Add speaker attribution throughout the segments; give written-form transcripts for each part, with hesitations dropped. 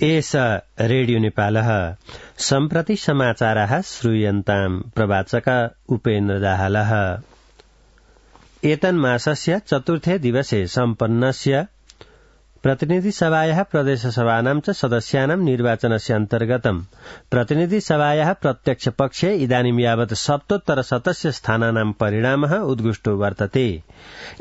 Speaker 1: एष रेडियो नेपालः सम्प्रति समाचाराः श्रूयन्ताम् प्रवाचक उपेन्द्र दाहालः। एतन्मासस्य चतुर्थे दिवसे सम्पन्नस्य प्रतिनिधिसभायाः प्रदेशसभानां च सदस्यानां निर्वाचनस्य अन्तर्गतं प्रतिनिधिसभायाः प्रत्यक्ष पक्षे इदानीं यावत् 77 स्थानानां परिणामः उद्घुष्टो वर्तते।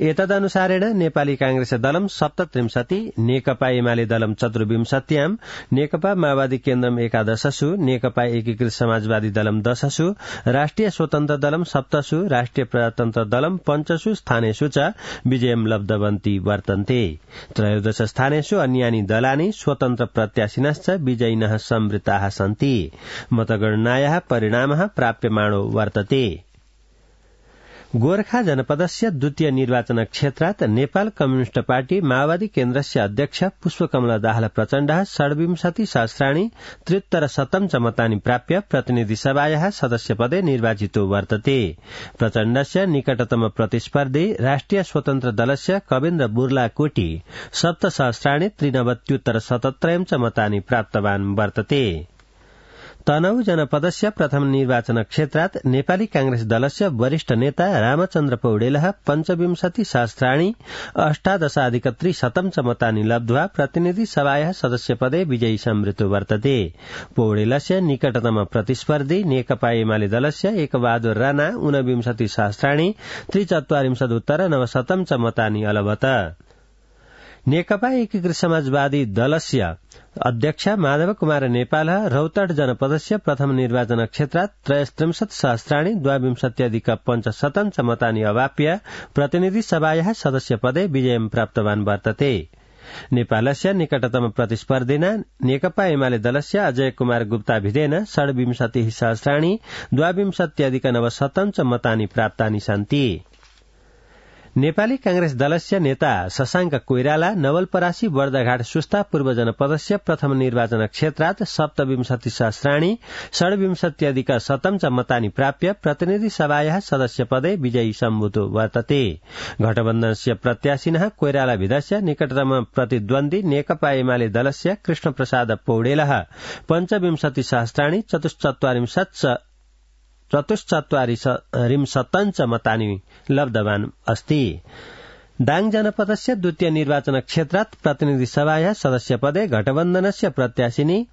Speaker 1: एतदनुसारेण नेपाली कांग्रेस दलं 37, नेकपा एमाले दलं 24, नेकपा माओवादी केन्द्रम 11, नेकपा एकीकृत समाजवादी दलं 10, राष्ट्रिय स्वतन्त्र दलं 7, राष्ट्रिय प्रजातन्त्र दलं 5 स्थानेषु च विजयं लब्धवन्ती वर्तन्ते। त्रयोदश स्थानेषु अन्यानि दलानि स्वतन्त्र प्रत्याशिनश्च विजयिनः संवृत्ताः सन्ति। मतगणनायाः परिणामः प्राप्यमाणो वर्तते। गोर्खा जनपदस्य द्वितीय निर्वाचन क्षेत्रात् नेपाल कम्युनिष्ट पार्टी माओवादी केन्द्रस्य अध्यक्ष पुष्पकमल दाहाल प्रचण्डः 26 सहस्राणि 73 च मतानि प्राप्य प्रतिनिधिसभायाः सदस्यपदे निर्वाचितो वर्तते। प्रचण्डस्य निकटतम प्रतिस्पर्धी राष्ट्रिय स्वतन्त्र दलस्य कविन्द्र बुर्लाकोटी 7 सहस्राणि 93 च मतानि प्राप्तवान् वर्तते। तनहु जनपदस्य प्रथम निर्वाचन क्षेत्रात् नेपाली कांग्रेस दलस्य वरिष्ठ नेता रामचन्द्र पौडेलः 25 सहस्राणि 18,300 च मतानि लब्ध्वा प्रतिनिधि सभायाः सदस्यपदे विजयी संवृत्तो वर्तते। पौडेलस्य निकटतम प्रतिस्पर्धी नेकपा एमाले दलस्य एकबहादुर राणा 29 सहस्राणि 43,900 च मतानि अलभत। नेकपा एकीकृत समाजवादी दलस्य अध्यक्ष माधव कुमार नेपालः रौतहट जनपदस्य प्रथम निर्वाचन क्षेत्रात् 33 सहस्राणि 22,500 च मतानि अवाप्य प्रतिनिधि सभायाः सदस्यपदे विजयं प्राप्तवान् वर्तते। नेपालस्य निकटतम प्रतिस्पर्धिना नेकपा एमाले दलस्य अजय कुमार गुप्ता भिदेन 27 सहस्राणि 22,900 च मतानि प्राप्तानि सन्ति। नेपाली कांग्रेस दलस्य नेता शशांक कोइराला नवलपरासी बर्दाघाट सुस्ता पूर्व जनपदस्य प्रथम निर्वाचन क्षेत्रात् 27 सहस्राणि 27,100 च मतानि प्राप्य प्रतिनिधि सभायाः सदस्यपदे विजयी सम्भूतो वर्तते। गठबन्धनस्य प्रत्याशिनः कोइराला भिदस्य निकटतम प्रतिद्वन्द्वी नेकपा एमाले दलस्य कृष्ण प्रसाद पौडेलः 25 सहस्राणि 44 च मतानि लब्धवान् अस्ति। दाङ जनपदस्य द्वितीय निर्वाचन क्षेत्रात् प्रतिनिधि सभायाः सदस्यपदे गठबन्धनस्य प्रत्याशिनी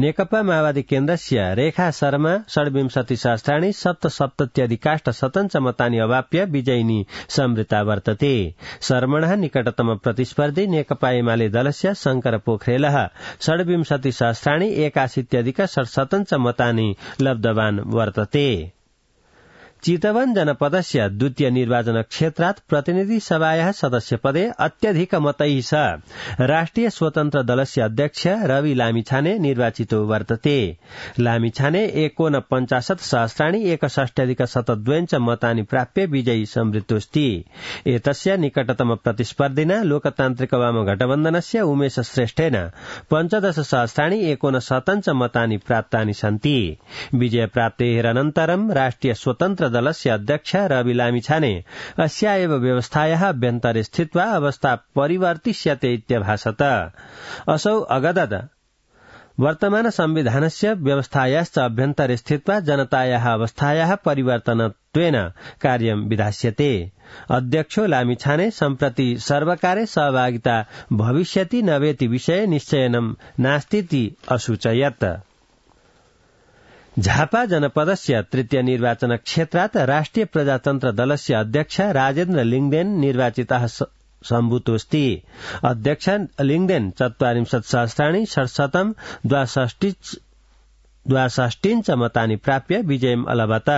Speaker 1: नेकपा माओवादी केन्द्रस्य रेखा शर्मा 27 सहस्राणि 77,100 च मतानि अवाप्य विजयिनी संवृत्ता वर्तते। शर्मणः निकटतम प्रतिस्पर्धी नेकपा एमाले दलस्य शंकर पोखरेलः 27 सहस्राणि 81,67 च मतानि लब्धवान् वर्तते। चितवन जनपदस्य द्वितीय निर्वाचन क्षेत्रात् प्रतिनिधि सभायाः सदस्यपदे अत्यधिक मतैः सह राष्ट्रिय स्वतन्त्र दलस्य अध्यक्ष रवि लामिछाने निर्वाचितो वर्तते। लामिछाने 49 सहस्राणि 61,072 च मतानि प्राप्य विजयी संवृत्तोऽस्ति। एतस्य निकटतम प्रतिस्पर्धिना लोकतान्त्रिक वाम गठबन्धनस्य उमेश श्रेष्ठेन 15 सहस्राणि 69 च मतानि प्राप्तानि सन्ति। विजय प्राप्तेः अनन्तरं राष्ट्रिय स्वतन्त्र दलस्य अध्यक्ष रवि लामिछाने अस्या एव व्यवस्थायाः अभ्यन्तरे स्थित्वा अवस्था परिवर्तिष्यते इत्यभाषत। असौ अगदत् वर्तमान संविधानस्य व्यवस्थायाश्च अभ्यन्तरे स्थित्वा जनतायाः अवस्थायाः परिवर्तनत्वेन कार्यं विधास्यते। अध्यक्षो लामिछाने सम्प्रति सर्वकारे सहभागिता भविष्यति नवेति विषये निश्चयनं नास्तीति असूचयत्। झापा जनपदस्य तृतीय निर्वाचन क्षेत्रात् राष्ट्रिय प्रजातन्त्र दलस्य अध्यक्ष राजेन्द्र लिङदेन निर्वाचितः सम्भूतोऽस्ति। अध्यक्ष लिङदेन 44 सहस्राणि 67,62 च मतानि प्राप्य विजयम् अलभत।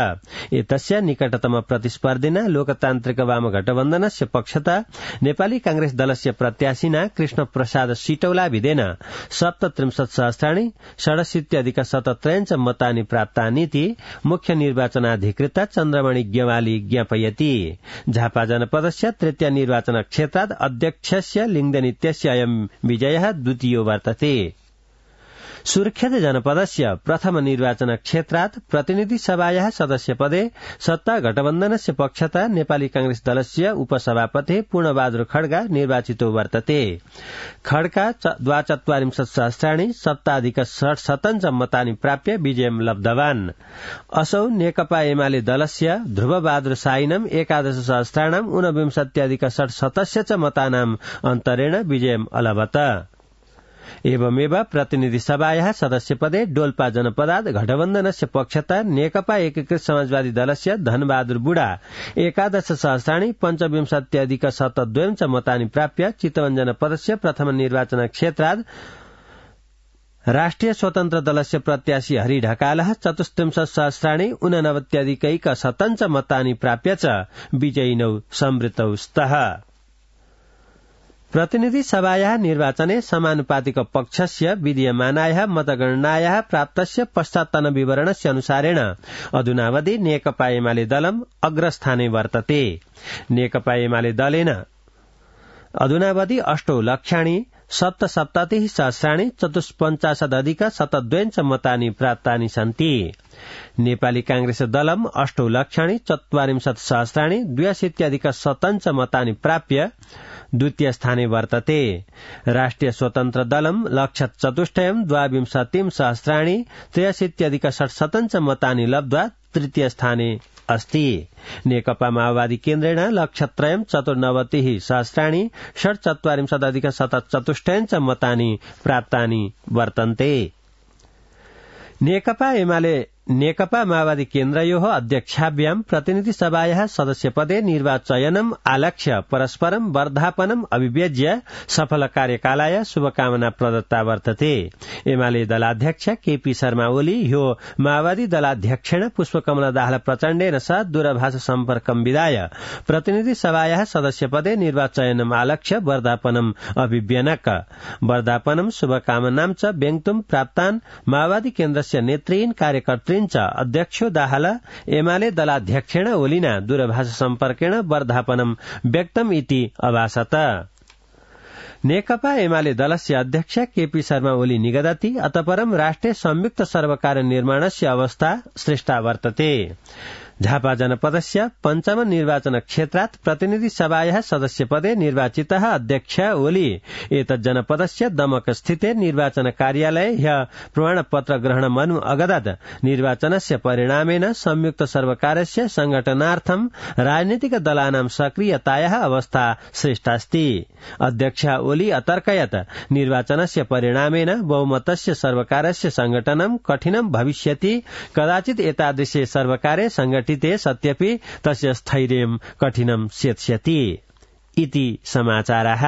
Speaker 1: एतस्य निकटतम प्रतिस्पर्धिना लोकतान्त्रिक वाम गठबन्धनस्य पक्षतः नेपाली कांग्रेस दलस्य प्रत्याशिना कृष्ण प्रसाद सिटौला भिदेन 37 सहस्राणि 67,077 च मतानि प्राप्तानीति मुख्य निर्वाचनाधिकृता चन्द्रमणि ज्ञवाली ज्ञापयति। झापा जनपदस्य तृतीय निर्वाचन क्षेत्रात् अध्यक्षस्य लिङदेन इत्यस्य अयं विजयः द्वितीयो वर्तते। सुर्खेत जनपदस्य प्रथम निर्वाचन क्षेत्रात् प्रतिनिधि सभायाः सदस्यपदे सत्ता गठबन्धनस्य पक्षतः नेपाली कांग्रेस दलस्य उपसभापति पूर्णबहादुर खड्गा निर्वाचितो वर्तते। खड्गा ४२ सप्ताधिक ६७ मतानि प्राप्य विजयं लब्धवान्। असौ नेकपा एमाले दलस्य ध्रुवबहादुर साइनम ११ ऊनविंशत्यधिक ६७ मतानाम् अन्तरेण विजयम् अलभत। एवमेव प्रतिनिधि सभायाः सदस्यपदे डोल्पा जनपदात् गठबन्धनस्य पक्षतः नेकपा एकीकृत समाजवादी दलस्य धनबहादुर बुढा ११ पंचविंशत्यधिक ७२ मतानि प्राप्य चितवन जनपदस्य प्रथम निर्वाचन क्षेत्रात् राष्ट्रिय स्वतन्त्र दलस्य प्रत्याशी हरि ढकालः ४३ मतानि प्राप्य च विजयिनौ संवृतौ स्तः। प्रतिनिधि सभायाः निर्वाचने समानुपातिक पक्षस्य विधीयमानायाः मतगणनायाः प्राप्तस्य पश्चात्तन विवरणस्य अनुसारेण अधुनावधि नेकपा एमाले दलम् अग्रस्थाने वर्तते। नेकपा एमाले दलेन अधुनावधि 8 लक्षाणि 7,77,000 चतुष्पञ्चाशदधिक 702 मतानि सन्ति। नेपाली कांग्रेस दलम् 8 लक्षाणि 44,000 2,87 मतानि प्राप्य द्वितीय स्थाने वर्तते। राष्ट्रिय स्वतन्त्र दलम् लक्षचतुष्टयम् 22,000 63,67 मतानि लब्ध्वा तृतीय स्थाने अस्ति। नेकपा माओवादी केन्द्रेण लक्षत्रयम् 94,000 षट्चत्वारिंशदधिक 74 मतानि वर्तन्ते। नेकपा माओवादी केन्द्रयोः अध्यक्षाभ्याम् प्रतिनिधि सभायाः सदस्यपदे निर्वाचयनम् आलक्ष्य परस्परम् वर्धापनम् अभिव्यज्य सफल कार्यकालाय शुभकामना प्रदत्ता वर्तते। एमाले दलाध्यक्ष केपी शर्मा ओली ह्यो माओवादी दलाध्यक्षेण पुष्पकमल दाहाल प्रचण्डेन सह दूरभाष सम्पर्कं विधाय प्रतिनिधि सभायाः सदस्यपदे निर्वाचयनम् आलक्ष्य वर्धापनम् अभिव्यनक वर्धापनम् शुभकामनां च व्यङ्क्तुम् प्राप्तान् माओवादी केन्द्रस्य नेतृन् कार्यकर्तृन् च अध्यक्षो दाहाल एमाले दलाध्यक्षेण ओलिना दूरभाष सम्पर्केण वर्धापनम् व्यक्तम् इति अभासत। नेकपा एमाले दलस्य अध्यक्ष केपी शर्मा ओली निगदति अतपरम् राष्ट्रिय संयुक्त सर्वकार निर्माणस्य अवस्था श्रेष्ठा वर्तते। झापा जनपदस्य पञ्चम निर्वाचन क्षेत्रात् प्रतिनिधि सभायाः सदस्यपदे निर्वाचितः अध्यक्ष ओली एतत् जनपदस्य दमक स्थिते निर्वाचन कार्यालये ह्यः प्रमाणपत्र ग्रहण मनु अगदत् निर्वाचनस्य परिणामेन संयुक्त सर्वकारस्य संगठनार्थं राजनीतिक दलानां सक्रियतायाः अवस्था श्रेष्ठास्ति। अध्यक्ष ओली अतर्कयत् निर्वाचनस्य परिणामेन बहुमतस्य सर्वकारस्य संगठनं कठिनं भविष्यति कदाचित् एतादृशे सर्वकारे संगठिते सत्यपि तस्य स्थैर्यं कठिनं सेत्स्यति इति समाचारः।